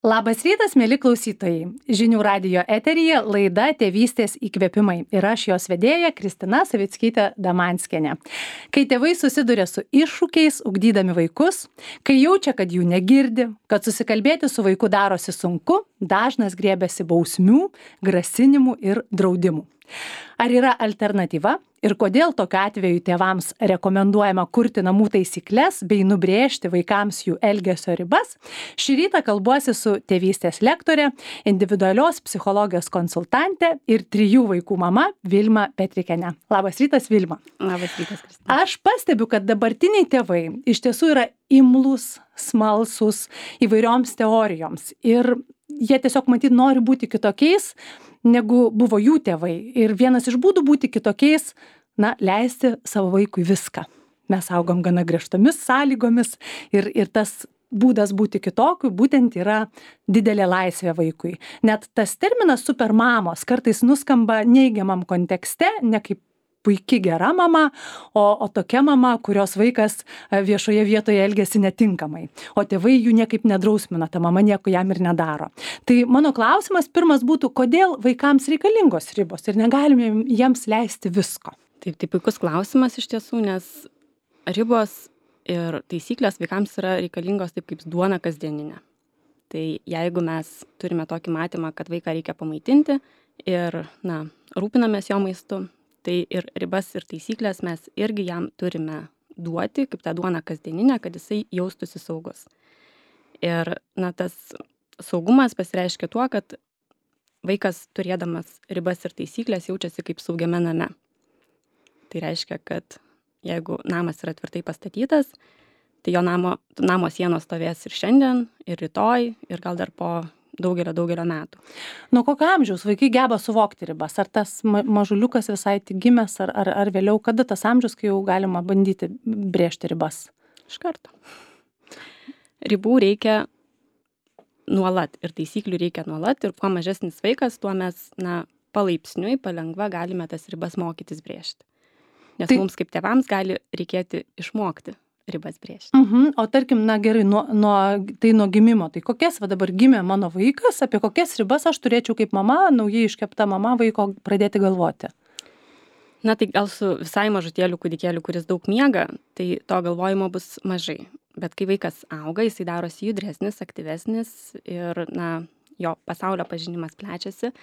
Labas rytas, mėly klausytojai. Žinių radijo eteryje laida Tėvystės įkvėpimai ir aš jos vedėja Kristina Savickytė-Damanskienė. Kai tėvai susiduria su iššūkiais, ugdydami vaikus, kai jaučia, kad jų negirdi, kad susikalbėti su vaiku darosi sunku, dažnas griebiasi bausmių, grasinimų ir draudimų. Ar yra alternatyva ir kodėl tokiu atveju tėvams rekomenduojama kurti namų taisykles bei nubrėžti vaikams jų elgesio ribas? Šį rytą kalbuosi su tėvystės lektore, individualios psichologijos konsultante ir 3 vaikų mama Vilma Petrikienė. Labas rytas, Vilma. Labas rytas, Kristina. Aš pastebiu, kad dabartiniai tėvai iš tiesų yra imlūs, smalsūs įvairioms teorijoms ir jie tiesiog matyt nori būti kitokiais, negu buvo jų tėvai. Ir vienas iš būdų būti kitokiais, leisti savo vaikui viską. Mes augom gana griežtomis sąlygomis ir tas būdas būti kitokiu būtent yra didelė laisvė vaikui. Net tas terminas supermamos kartais nuskamba neigiamam kontekste, ne kaip puiki gera mama, o tokia mama, kurios vaikas viešoje vietoje elgiasi netinkamai. O tėvai jų niekaip nedrausmina, ta mama nieko jam ir nedaro. Tai mano klausimas pirmas būtų, kodėl vaikams reikalingos ribos ir negalime jiems leisti visko? Taip, tai puikus klausimas iš tiesų, nes ribos ir taisyklės vaikams yra reikalingos taip kaip duona kasdieninė. Tai jeigu mes turime tokį matymą, kad vaiką reikia pamaitinti ir, rūpinamės jo maistu, tai ir ribas ir taisyklės mes irgi jam turime duoti, kaip tą duoną kasdieninę, kad jisai jaustųsi saugus. Ir, tas saugumas pasireiškia tuo, kad vaikas turėdamas ribas ir taisyklės jaučiasi kaip saugiame name. Tai reiškia, kad jeigu namas yra tvirtai pastatytas, tai jo namo sienos stovės ir šiandien, ir rytoj, ir gal dar po daugelio metų. Nuo kokio amžiaus vaikai geba suvokti ribas? Ar tas mažuliukas visai tik gimęs, ar vėliau, kada tas amžius, kai jau galima bandyti brėžti ribas? Iš karto. Ribų reikia nuolat ir taisyklių reikia nuolat ir kuo mažesnis vaikas, tuo mes palaipsniui, palengva galime tas ribas mokytis brėžti. Nes mums kaip tėvams gali reikėti išmokti ribas brėžti. O tarkim, gerai, nuo gimimo, tai kokias dabar gimė mano vaikas, apie kokias ribas aš turėčiau kaip mama, naujai iškepta mama vaiko pradėti galvoti? Tai gal su visai mažutėliu kūdikėliu, kuris daug miega, tai to galvojimo bus mažai. Bet kai vaikas auga, jisai darosi judresnis, aktyvesnis ir, jo pasaulio pažinimas plečiasi,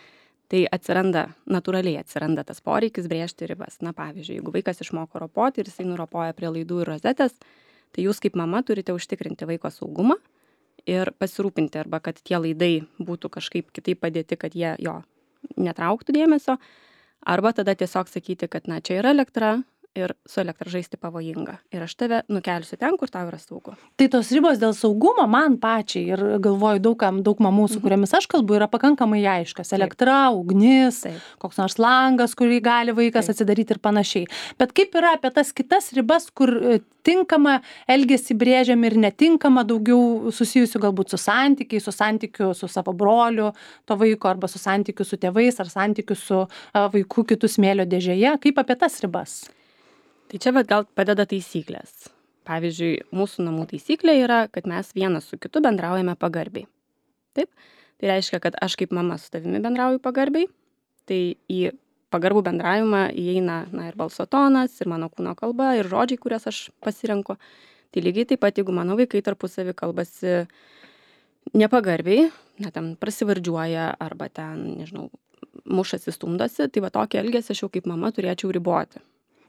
tai natūraliai atsiranda tas poreikis brėžti ribas. Pavyzdžiui, jeigu vaikas išmoko ropoti ir jisai nuropoja prie laidų ir rozetės, tai jūs kaip mama turite užtikrinti vaiko saugumą ir pasirūpinti, arba kad tie laidai būtų kažkaip kitaip padėti, kad jie jo netrauktų dėmesio, arba tada tiesiog sakyti, kad čia yra elektra ir su elektra žaisti pavojinga. Ir aš tave nukelsiu ten, kur tau yra saugu. Tai tos ribos dėl saugumo man pačiai ir galvoju daug mamų, su kuriamis aš kalbu, yra pakankamai aiškas. Elektra, ugnis, koks nors langas, kurį gali vaikas atsidaryti ir panašiai. Bet kaip yra apie tas kitas ribas, kur tinkama elgesį brėžiam ir netinkama, daugiau susijusių galbūt su santykiu su savo broliu, to vaiko, arba su santykiu su tėvais, ar santykiu su vaiku kitų smėlio dėžėje. Kaip apie tas ribas? Tai čia gal padeda taisyklės. Pavyzdžiui, mūsų namų taisyklė yra, kad mes vienas su kitu bendraujame pagarbiai. Taip? Tai reiškia, kad aš kaip mama su tavimi bendrauju pagarbiai, tai į pagarbų bendravimą įeina ir balso tonas, ir mano kūno kalba, ir žodžiai, kurias aš pasirenku. Tai lygiai taip pat, jeigu mano vaikai tarpusavy kalbasi nepagarbiai, ten prasivardžiuoja, arba ten, mušasi, stumdosi, tai tokį elgesį aš jau kaip mama turėčiau riboti.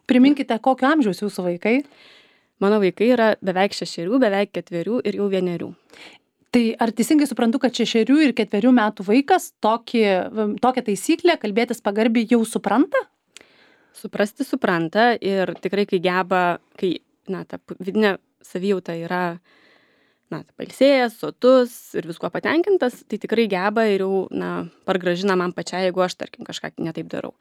Priminkite, kokio amžiaus jūsų vaikai? Mano vaikai yra beveik 6, beveik 4 ir jau 1. Tai ar teisingai suprantu, kad 6 ir 4 metų vaikas tokią taisyklę kalbėtis pagarbiai jau supranta? Suprasti supranta ir tikrai, kai geba, ta vidinė savijauta yra pailsėjęs, sotus ir viskuo patenkintas, tai tikrai geba ir jau pargražina man pačiai, jeigu aš, tarkim, kažką netaip darau.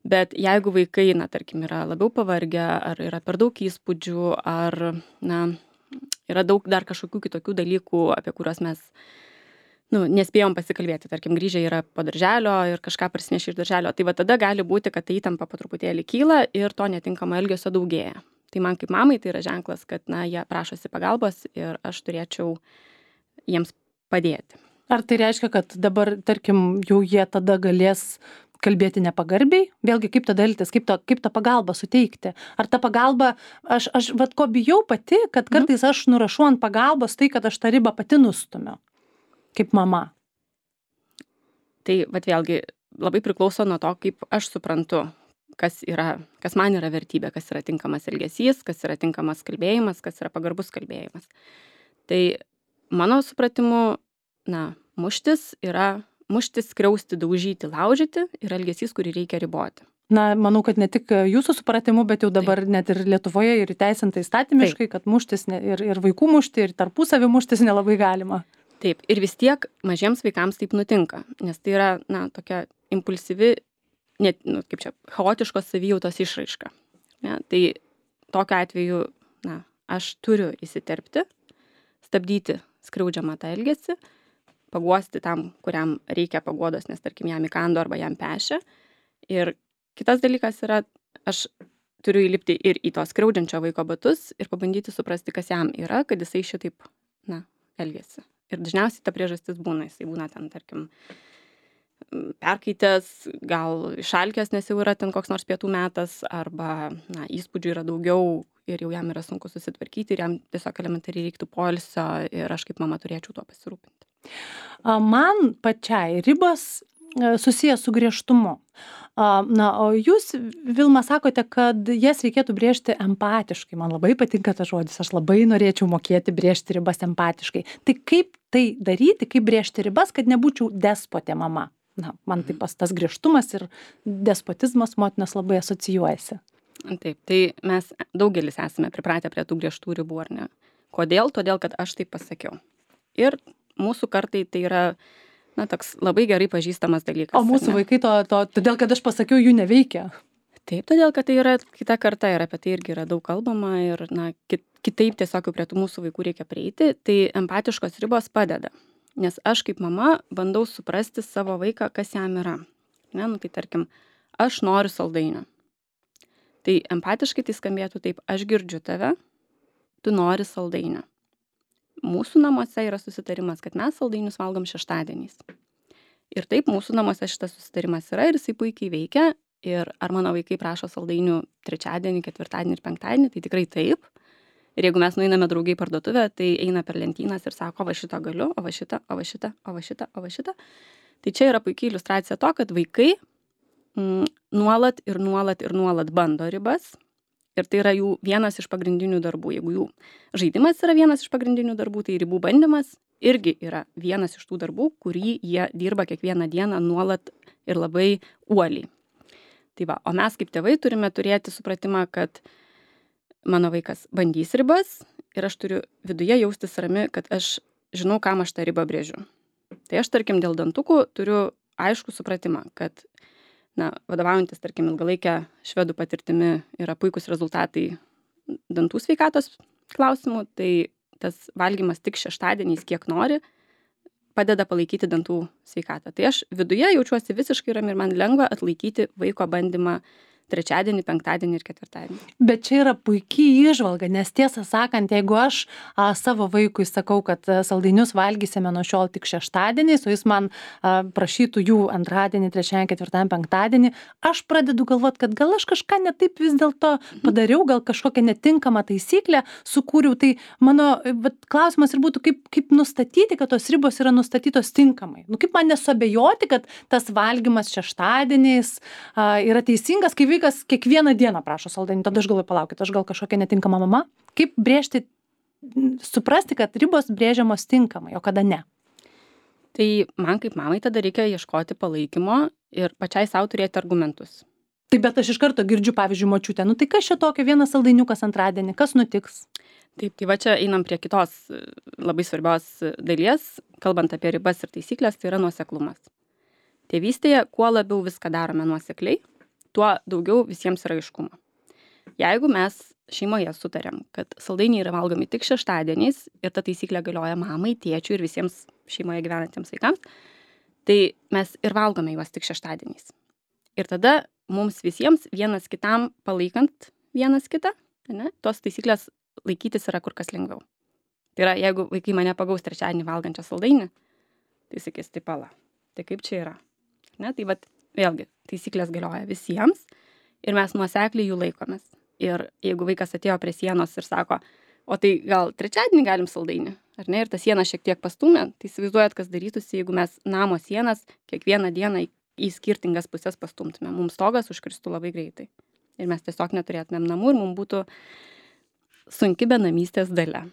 Bet jeigu vaikai, tarkim, yra labiau pavargę, ar yra per daug įspūdžių, ar yra daug dar kažkokių kitokių dalykų, apie kuriuos mes nespėjom pasikalbėti, tarkim, grįžę yra po darželio ir kažką parsinešė iš darželio, tai tada gali būti, kad ta įtampa po truputėlį kyla ir to netinkamo elgesio daugėja. Tai man kaip mamai tai yra ženklas, kad jie prašosi pagalbos ir aš turėčiau jiems padėti. Ar tai reiškia, kad dabar, tarkim, jau jie tada galės kalbėti nepagarbiai? Vėlgi, kaip tada elgtis, kaip tą pagalbą suteikti? Ar ta pagalba, aš vat ko bijau pati, kad kartais aš nurašau ant pagalbos tai, kad aš tą ribą pati nustumiu, kaip mama. Tai vat vėlgi labai priklauso nuo to, kaip aš suprantu, kas man yra vertybė, kas yra tinkamas elgesys, kas yra tinkamas kalbėjimas, kas yra pagarbus kalbėjimas. Tai mano supratimu, muštis, skriausti, daužyti, laužyti yra elgesys, kurį reikia riboti. Manau, kad ne tik jūsų supratimu, bet jau dabar net ir Lietuvoje ir įteisinta įstatymiškai, kad muštis ir vaikų mušti, ir tarpusavį muštis nelabai galima. Taip, ir vis tiek mažiems vaikams taip nutinka, nes tai yra, tokia impulsyvi, chaotiškos savijautos išraiška. Ne? Tai tokiu atveju, aš turiu įsiterpti, stabdyti skriaudžiamą tą elgesį, paguosti tam, kuriam reikia paguodos, nes tarkim jam įkando arba jam pešia. Ir kitas dalykas yra, aš turiu įlipti ir į to skriaudžiančio vaiko batus ir pabandyti suprasti, kas jam yra, kad jisai šitaip, elgiasi. Ir dažniausiai ta priežastis jisai būna ten, tarkim, perkaitęs, gal išalkęs, nes jau yra ten koks nors pietų metas, arba, įspūdžių yra daugiau ir jau jam yra sunku susitvarkyti ir jam tiesiog elementariai reiktų poilsio ir aš kaip mama turėčiau tuo pasirūpinti. Man pačiai ribos susijęs su griežtumu. O jūs, Vilma, sakote, kad jas reikėtų brėžti empatiškai. Man labai patinka tas žodis, aš labai norėčiau mokėti brėžti ribas empatiškai. Tai kaip tai daryti, kaip brėžti ribas, kad nebūčiau despotė mama? Man taip tas griežtumas ir despotizmas motinos labai asocijuojasi. Taip, tai mes daugelis esame pripratę prie tų griežtų ribų, ar ne? Kodėl? Todėl, kad aš taip pasakiau. Ir mūsų kartai tai yra, toks labai gerai pažįstamas dalykas. O mūsų vaikai todėl, kad aš pasakiau, jų neveikia. Taip, todėl, kad tai yra kita karta ir apie tai irgi yra daug kalbama ir, kitaip tiesiog prie tų mūsų vaikų reikia prieiti, tai empatiškos ribos padeda. Nes aš kaip mama bandau suprasti savo vaiką, kas jam yra. Tai tarkim, aš noriu saldainio. Tai empatiškai tai skambėtų taip, aš girdžiu tave, tu nori saldainio. Mūsų namuose yra susitarimas, kad mes saldainius valgom šeštadieniais. Ir taip, mūsų namuose šitas susitarimas yra ir jisai puikiai veikia. Ir ar mano vaikai prašo saldainių trečiadienį, ketvirtadienį ir penktadienį, tai tikrai taip. Ir jeigu mes nueiname draugai parduotuvę, tai eina per lentynas ir sako, o va šitą galiu, o va šitą, o va šitą, o va šitą, o va šitą. Tai čia yra puikiai iliustracija to, kad vaikai nuolat bando ribas. Ir tai yra jų vienas iš pagrindinių darbų. Jeigu jų žaidimas yra vienas iš pagrindinių darbų, tai ribų bandymas irgi yra vienas iš tų darbų, kurį jie dirba kiekvieną dieną nuolat ir labai uoliai. Tai va, o mes kaip tėvai turime turėti supratimą, kad mano vaikas bandys ribas ir aš turiu viduje jaustis rami, kad aš žinau, kam aš tą ribą brėžiu. Tai aš, tarkim, dėl dantukų turiu aišku supratimą, kad vadovaujantis, tarkim, ilgalaikę švedų patirtimi yra puikus rezultatai dantų sveikatos klausimų, tai tas valgymas tik šeštadieniais, kiek nori, padeda palaikyti dantų sveikatą. Tai aš viduje jaučiuosi visiškai rami ir man lengva atlaikyti vaiko bandymą trečiadienį, penktadienį ir ketvirtadienį. Bet čia yra puikiai įžvalga, nes tiesą sakant, jeigu aš savo vaikui sakau, kad saldainius valgysime nuo šiol tik šeštadieniais, o jis man prašytų jų antradienį, trečiadienį, ketvirtadienį, penktadienį, aš pradedu galvoti, kad gal aš kažką netaip vis dėlto padariau, gal kažkokią netinkamą taisyklę sukūriau. Tai mano klausimas ir būtų, kaip nustatyti, kad tos ribos yra nustatytos tinkamai. Kaip man nesuabejoti, kad tas valgymas šeštadieniais yra teisingas, kai vaikas kiekvieną dieną prašo saldainių, tada aš galvoju, palaukit, aš gal kažkokia netinkama mama. Kaip brėžti, suprasti, kad ribos brėžiamos tinkamai, o kada ne? Tai man kaip mamai tada reikia ieškoti palaikymo ir pačiai savo turėti argumentus. Tai bet aš iš karto girdžiu, pavyzdžiui, močiutę, tai kas čia tokio, vienas saldainiukas antradienį, kas nutiks? Taip, tai va čia einam prie kitos labai svarbios dalies, kalbant apie ribas ir taisyklės, tai yra nuoseklumas. Tėvystėje, kuo labiau viską darome nuosekliai, tuo daugiau visiems yra aiškumo. Jeigu mes šeimoje sutarėm, kad saldainiai yra valgomi tik šeštadieniais ir ta taisyklė galioja mamai, tėčiui ir visiems šeimoje gyvenantiems vaikams, tai mes ir valgome juos tik šeštadieniais. Ir tada mums visiems vienas kitam palaikant vienas kitą, tos taisyklės laikytis yra kur kas lengviau. Tai yra, jeigu vaikai mane pagaus trečiadienį valgančią saldainį, Tai sakys, tai pala. Tai kaip čia yra? Ne, tai vat, vėlgi, taisyklės galioja visiems ir mes nuosekliai jų laikomės. Ir jeigu vaikas atėjo prie sienos ir sako, o tai gal trečiadienį galim saldainį, ar ne, ir ta siena šiek tiek pastūmė, tai įsivaizduojat, kas darytųsi, jeigu mes namo sienas kiekvieną dieną į skirtingas pusės pastumtume. Mums stogas užkristų labai greitai. Ir mes tiesiog neturėtumėm namų ir mums būtų sunki benamystės dalia.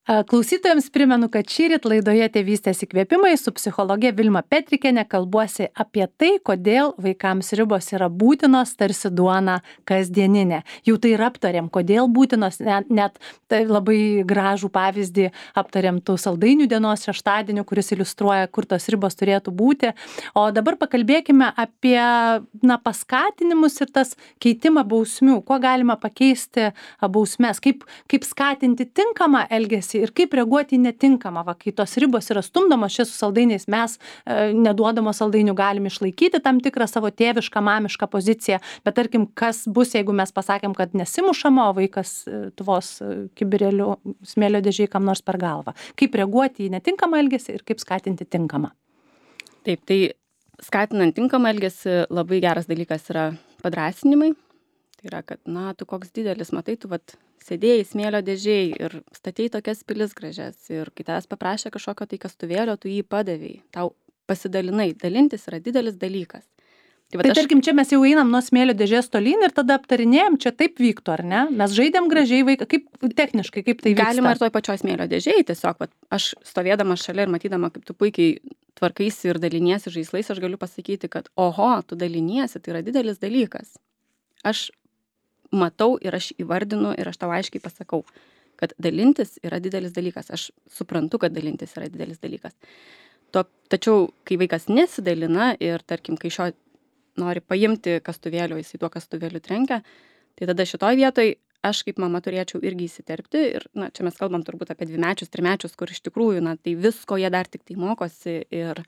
Klausytojams primenu, kad šįryt laidoje Tėvystės įkvėpimai su psichologė Vilma Petrikienė kalbuosi apie tai, kodėl vaikams ribos yra būtinos, tarsi duona kasdieninė. Jau tai ir aptarėm, kodėl būtinos, net tai labai gražų pavyzdį aptarėm tų saldainių dienos šeštadienį, kuris iliustruoja, kur tos ribos turėtų būti. O dabar pakalbėkime apie paskatinimus ir tas keitimą bausmių. Kuo galima pakeisti bausmes, kaip skatinti tinkamą elgesį ir kaip reaguoti į netinkamą, kai tos ribos yra stumdomos čia su saldainiais, mes neduodamos saldainių galim išlaikyti tam tikrą savo tėvišką, mamišką poziciją, bet tarkim, kas bus, jeigu mes pasakėm, kad nesimušama, o vaikas tvos kibirėlių smėlio dėžėj kam nors per galvą. Kaip reaguoti į netinkamą elgesį ir kaip skatinti tinkamą? Taip, tai skatinant tinkamą elgesį labai geras dalykas yra padrąsinimai. Tai yra, kad, tu koks didelis, matai, tu sėdėjai smėlio dėžėj ir statėjai tokias pilis gražias ir kai tavęs paprašė kažkokio tai kastuvėlio, tu jį padavėjai, tau pasidalinai, dalintis yra didelis dalykas. Tai tarkim, čia mes jau einam nuo smėlio dėžės tolyn ir tada aptarinėjom, čia taip vyktų, ar ne? Mes žaidėm gražiai vaiką, kaip techniškai, kaip tai vyksta? Galima ir toj pačioj smėlio dėžėj, tiesiog, aš stovėdama šalia ir matydama, kaip tu puikiai tvarkaisi ir daliniesi žaislais, aš galiu pasakyti, kad oho, tu daliniesi, tai yra didelis dalykas. Aš matau ir aš įvardinu ir aš tau aiškiai pasakau, kad dalintis yra didelis dalykas. Aš suprantu, kad dalintis yra didelis dalykas. Tačiau, kai vaikas nesidalina ir, tarkim, kai šio nori paimti kastuvėlio, jis į tuo kastuvėliu trenkia, tai tada šitoj vietoj aš kaip mama turėčiau irgi įsiterpti. Ir, čia mes kalbam turbūt apie 2-mečius, 3-mečius, kur iš tikrųjų, tai visko jie dar tik tai mokosi ir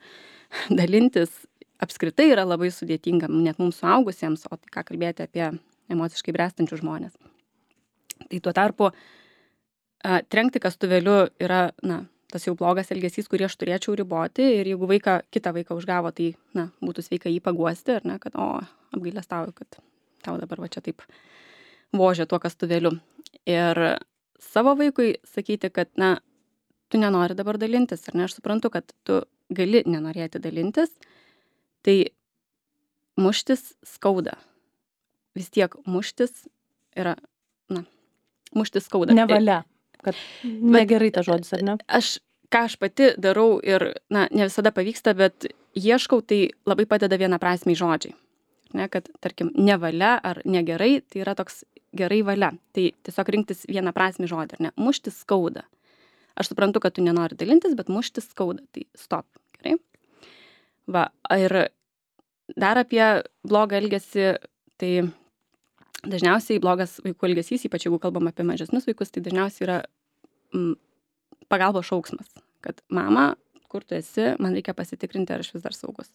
dalintis apskritai yra labai sudėtinga, net mums suaugusiems, o tai ką kalbėti apie emociškai bręstančių žmonės. Tai tuo tarpu trenkti kastuvėliu yra, tas jau blogas elgesys, kurį aš turėčiau riboti ir jeigu kitą vaiką užgavo, tai, būtų sveika jį paguosti, ar ne, kad, apgailestauju, kad tau dabar čia taip vožia tuo kastuvėliu. Ir savo vaikui sakyti, kad, tu nenori dabar dalintis, ar ne, aš suprantu, kad tu gali nenorėti dalintis, tai muštis skauda. Vis tiek muštis yra, muštis skauda. Nevalia, kad negerai tas žodis, ar ne? Ką aš pati darau ir, ne visada pavyksta, bet ieškau, tai labai padeda vienaprasmiai žodžiai. Ne, kad, tarkim, nevalia ar negerai, tai yra toks gerai valia. Tai tiesiog rinktis vienaprasmį žodį, ar ne? Muštis skauda. Aš suprantu, kad tu nenori dalintis, bet muštis skauda. Tai stop, gerai? Ir dar apie blogą elgesį, tai dažniausiai blogas vaikų elgesys, ypač jeigu kalbam apie mažesnius vaikus, tai dažniausiai yra pagalbos šauksmas, kad mama, kur tu esi, man reikia pasitikrinti, ar aš vis dar saugus.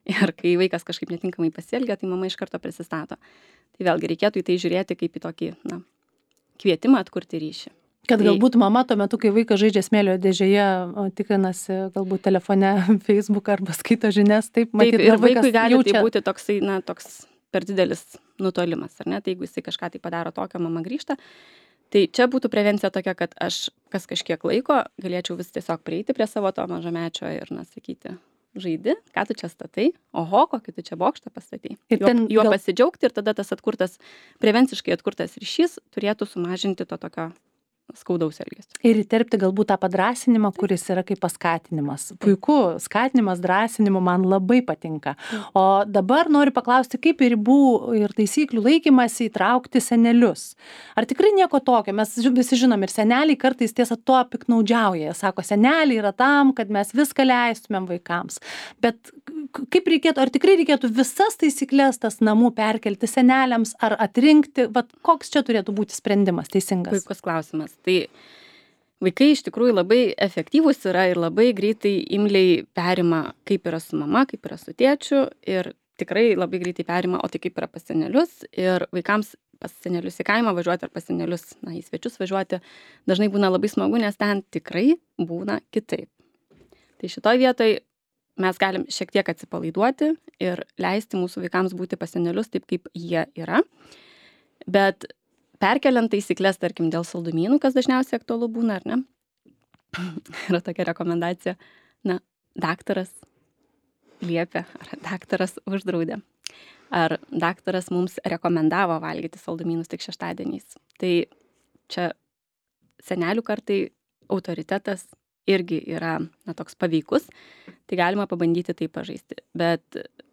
Ir kai vaikas kažkaip netinkamai pasielgia, tai mama iš karto prisistato. Tai vėlgi reikėtų į tai žiūrėti kaip į tokį, kvietimą atkurti ryšį. Kad galbūt mama tuo metu, kai vaikas žaidžia smėlio dėžėje, tikrinasi galbūt telefone, Facebook arba skaito žinias, taip matyti. Taip, ir vaikui gali tai būti toksai, toks per didelis nutolimas, ar ne? Tai jeigu jisai kažką tai padaro tokio, mama grįžta. Tai čia būtų prevencija tokia, kad aš kas kažkiek laiko galėčiau vis tiesiog prieiti prie savo to mažamečio ir, sakyti, žaidi, ką tu čia statai, oho, kokį tu čia bokštą pastatai. Juo pasidžiaugti ir tada tas prevenciškai atkurtas ryšys turėtų sumažinti to tokio skaudaus elgesio. Ir įterpti galbūt tą padrąsinimą, kuris yra kaip paskatinimas. Puiku, skatinimas, drąsinimu man labai patinka. O dabar noriu paklausti, kaip ribų ir taisyklių laikymasi įtraukti senelius. Ar tikrai nieko tokio? Mes visi žinom ir seneliai kartais tiesa to piknaudžiauja. Jie sako, seneliai yra tam, kad mes viską leistumėm vaikams. Bet kaip reikėtų, ar tikrai reikėtų visas taisyklės tas namų perkelti seneliams, ar atrinkti, koks čia turėtų būti sprendimas teisingas? Puikus klausimas. Tai vaikai iš tikrųjų labai efektyvūs yra ir labai greitai imliai perima, kaip yra su mama, kaip yra su tėčiu ir tikrai labai greitai perima, o tai kaip yra pas senelius. Ir vaikams pas senelius į kaimą važiuoti ar pas senelius, į svečius važiuoti dažnai būna labai smagu, nes ten tikrai būna kitaip. Tai šitoj vietoj mes galim šiek tiek atsipalaiduoti ir leisti mūsų vaikams būti pas senelius taip, kaip jie yra. Bet perkeliant taisyklės, tarkim, dėl saldumynų, kas dažniausiai aktualu būna, ar ne? Yra tokia rekomendacija, daktaras liepia, ar daktaras uždraudė, ar daktaras mums rekomendavo valgyti saldumynus tik šeštadieniais. Tai čia senelių kartai autoritetas irgi yra toks paveikus, tai galima pabandyti tai pažaisti. Bet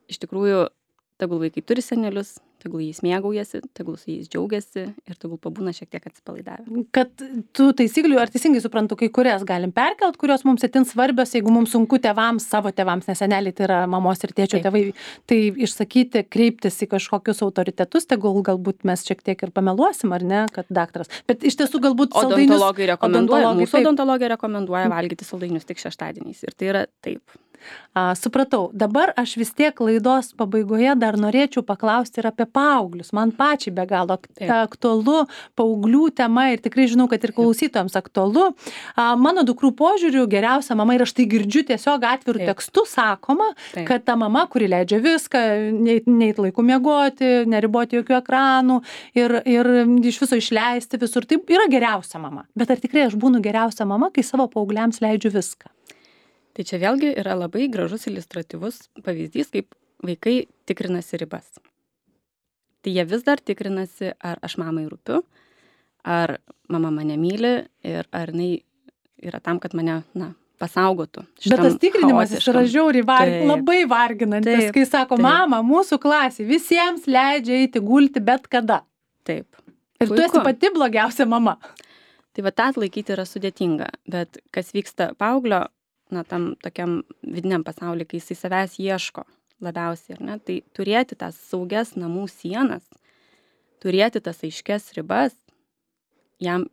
iš tikrųjų, tegul vaikai turi senelius, tegul jais mėgaujasi, tegul su jais džiaugiasi ir tegul pabūna šiek tiek atsipalaidavę. Kad tų taisyklių, ar teisingai suprantu, kai kurias galim perkelt, kurios mums itin svarbios, jeigu mums sunku tėvams, savo tėvams, nes seneliai tai yra mamos ir tėčio tėvai, tai išsakyti, kreiptis į kažkokius autoritetus, tegul galbūt mes šiek tiek ir pameluosim, ar ne, kad daktaras. Bet iš tiesų galbūt odontologai rekomenduoja, mūsų odontologija rekomenduoja valgyti saldainius tik šeštadieniais ir tai yra taip. Supratau. Dabar aš vis tiek laidos pabaigoje dar norėčiau paklausti ir apie paauglius. Man pačiai be galo aktualu paauglių tema ir tikrai žinau, kad ir klausytojams aktualu. Mano dukrų požiūrių geriausia mama, ir aš tai girdžiu tiesiog atvirų tekstų sakoma, kad ta mama, kuri leidžia viską, neit laiku miegoti, neriboti jokių ekranų ir iš viso išleisti visur, tai yra geriausia mama. Bet ar tikrai aš būnu geriausia mama, kai savo paaugliams leidžiu viską? Tai čia vėlgi yra labai gražus iliustratyvus pavyzdys, kaip vaikai tikrinasi ribas. Tai jie vis dar tikrinasi, ar aš mamai rūpiu, ar mama mane myli ir ar jinai yra tam, kad mane, pasaugotų. Bet tas tikrinimas yra žiauriai labai varginantis, kai sako, mama, mūsų klasė visiems leidžia eiti gulti bet kada. Taip. Ir tu esi pati blogiausia mama. Tai va, tą atlaikyti yra sudėtinga, bet kas vyksta paauglio, tam tokiam vidiniam pasaulyje, kai jisai savęs ieško labiausiai, ar ne, tai turėti tas saugias namų sienas, turėti tas aiškias ribas, jam,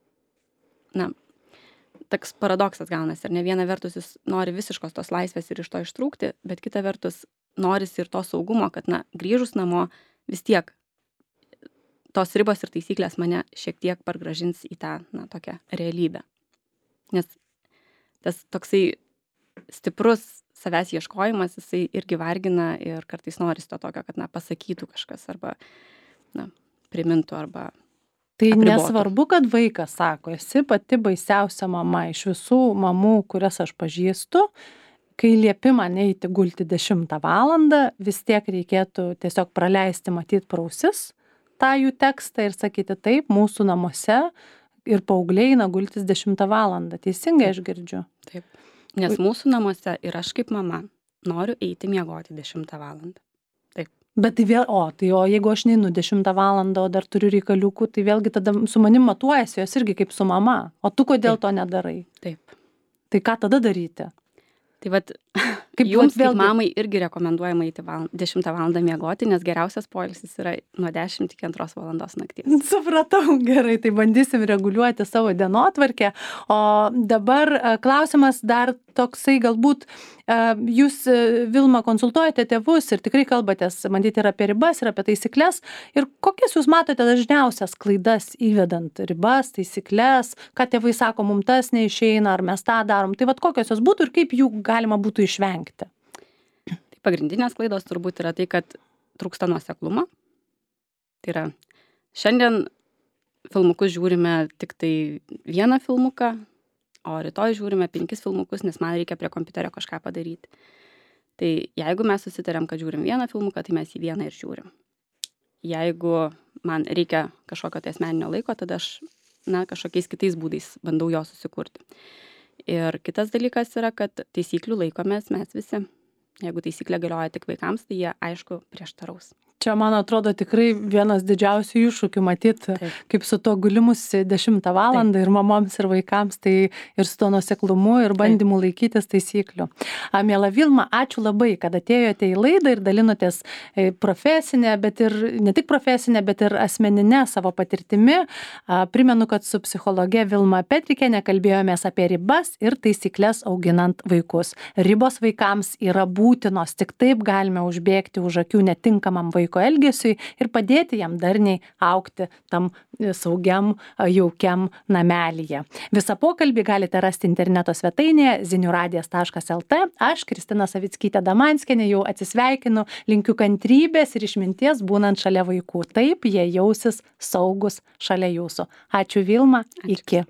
toks paradoksas gaunasi, ar ne, viena vertus jis nori visiškos tos laisvės ir iš to ištrūkti, bet kita vertus norisi ir to saugumo, kad, grįžus namo vis tiek tos ribos ir taisyklės mane šiek tiek pargražins į tą, tokią realybę. Nes tas toksai stiprus savęs ieškojimas, jisai irgi vargina ir kartais norisi to tokio, kad, pasakytų kažkas arba, primintų arba tai apribotų. Nesvarbu, kad vaikas sako, esi pati baisiausia mama iš visų mamų, kurias aš pažįstu, kai liepi man eiti gulti 10 valandą, vis tiek reikėtų tiesiog praleisti, matyt, pro ausis tą jų tekstą ir sakyti taip, mūsų namuose ir paaugliai eina gultis 10 valandą. Teisingai aš girdžiu? Taip. Nes mūsų namuose ir aš kaip mama noriu eiti miegoti 10 valandą. Taip. Bet tai vėl, o jeigu aš neinu 10 valandą, o dar turiu reikaliukų, tai vėlgi tada su manim matuojasi jos irgi kaip su mama. O tu kodėl to nedarai? Taip. Tai ką tada daryti? Tai vat, jums kaip mamai irgi rekomenduojama eiti 10 valandą miegoti, nes geriausias poilsis yra nuo 10 iki 2 valandos nakties. Supratau, gerai, tai bandysim reguliuoti savo dienotvarkę. O dabar klausimas dar toksai, galbūt jūs, Vilma, konsultuojate tėvus ir tikrai kalbatės, matyti, ir apie ribas, ir apie taisyklės. Ir kokias jūs matote dažniausias klaidas įvedant ribas, taisyklės, ką tėvai sako, mums tas neišeina, ar mes tą darom. Tai vat kokios jos būtų ir kaip jų galima būtų išvengti? Tai pagrindinės klaidos turbūt yra tai, kad trūksta nuoseklumo. Tai yra, šiandien filmukus žiūrime tik tai vieną filmuką, o rytoj žiūrime 5 filmukus, nes man reikia prie kompiuterio kažką padaryti. Tai jeigu mes susitarėm, kad žiūrim vieną filmuką, tai mes jį vieną ir žiūrim. Jeigu man reikia kažkokio tai asmeninio laiko, tada aš kažkokiais kitais būdais bandau jo susikurti. Ir kitas dalykas yra, kad taisyklių laikomės mes visi. Jeigu taisyklė galioja tik vaikams, tai jie, aišku, prieštaraus. Čia, man atrodo, tikrai vienas didžiausių iššūkių matyti, kaip su to gulimusi 10 valandą ir mamoms ir vaikams, tai ir su to nuoseklumu ir bandymu laikytis taisyklių. Miela Vilma, ačiū labai, kad atėjote į laidą ir dalinotės profesinę, bet ir ne tik profesinę, bet ir asmeninę savo patirtimi. Primenu, kad su psichologe Vilma Petrikienė kalbėjomės apie ribas ir taisyklės auginant vaikus. Ribos vaikams yra būtinos, tik taip galime užbėgti už akių netinkamam vaikui. vaiko elgesiui ir padėti jam darniai augti tam saugiam, jaukiam namelyje. Visą pokalbį galite rasti interneto svetainėje ziniuradijas.lt. Aš, Kristina Savickytė Damanskienė, jau atsisveikinu, linkiu kantrybės ir išminties būnant šalia vaikų. Taip jie jausis saugus šalia jūsų. Ačiū Vilma, iki.